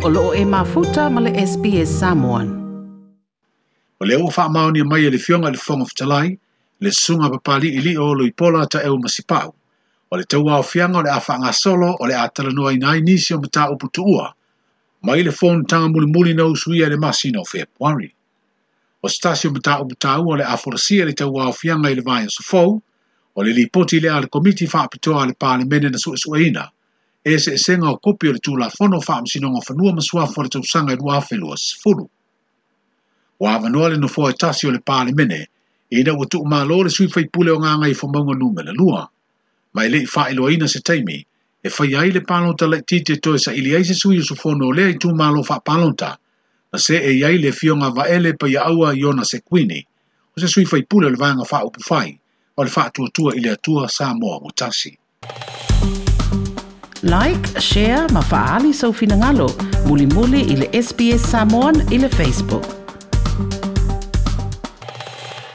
O loo e mafuta ma le SBS Samoan. O lea ua faamaonia mai e le Afioga i le Fofoga Fetalai, le Susuga a Papaliilii o Oloipola Taeu Masipau, o le tauaofiaga o le a faagasolo o le a talanoaina ai nisi o mataupu tuua mai le fonotaga mulimuli na usuia i le masina o Fepuari. O se tasi o mataupu taua o le a folasia i le tauaofiaga i le vaiaso fou, o le lipoti lea a le Komiti Faapitoa a le Palemene na suesueina eseesega o kopi o le Tulafono o Faamasinoga o Fanua ma Suafa o le tausaga e 2020. Ua avanoa le nofoa e tasi o le Palemene ina ua tuumalo le sui faipule o Gagaifomauga Numera 2, ma e le i faailoaina se taimi e faia ai le palota laitiiti e toe saili ai se sui usufono o lea itumalo faapalota, na see i ai le Afioga Vaele Paiaaua Iona Sekuini, o se sui faipule o le Vaega Faaupufai o le Faatuatua i le Atua Samoa ua Tasi. Like, share ma faaali sou finagalo. Mulimuli i le SBS Samoan i le Facebook.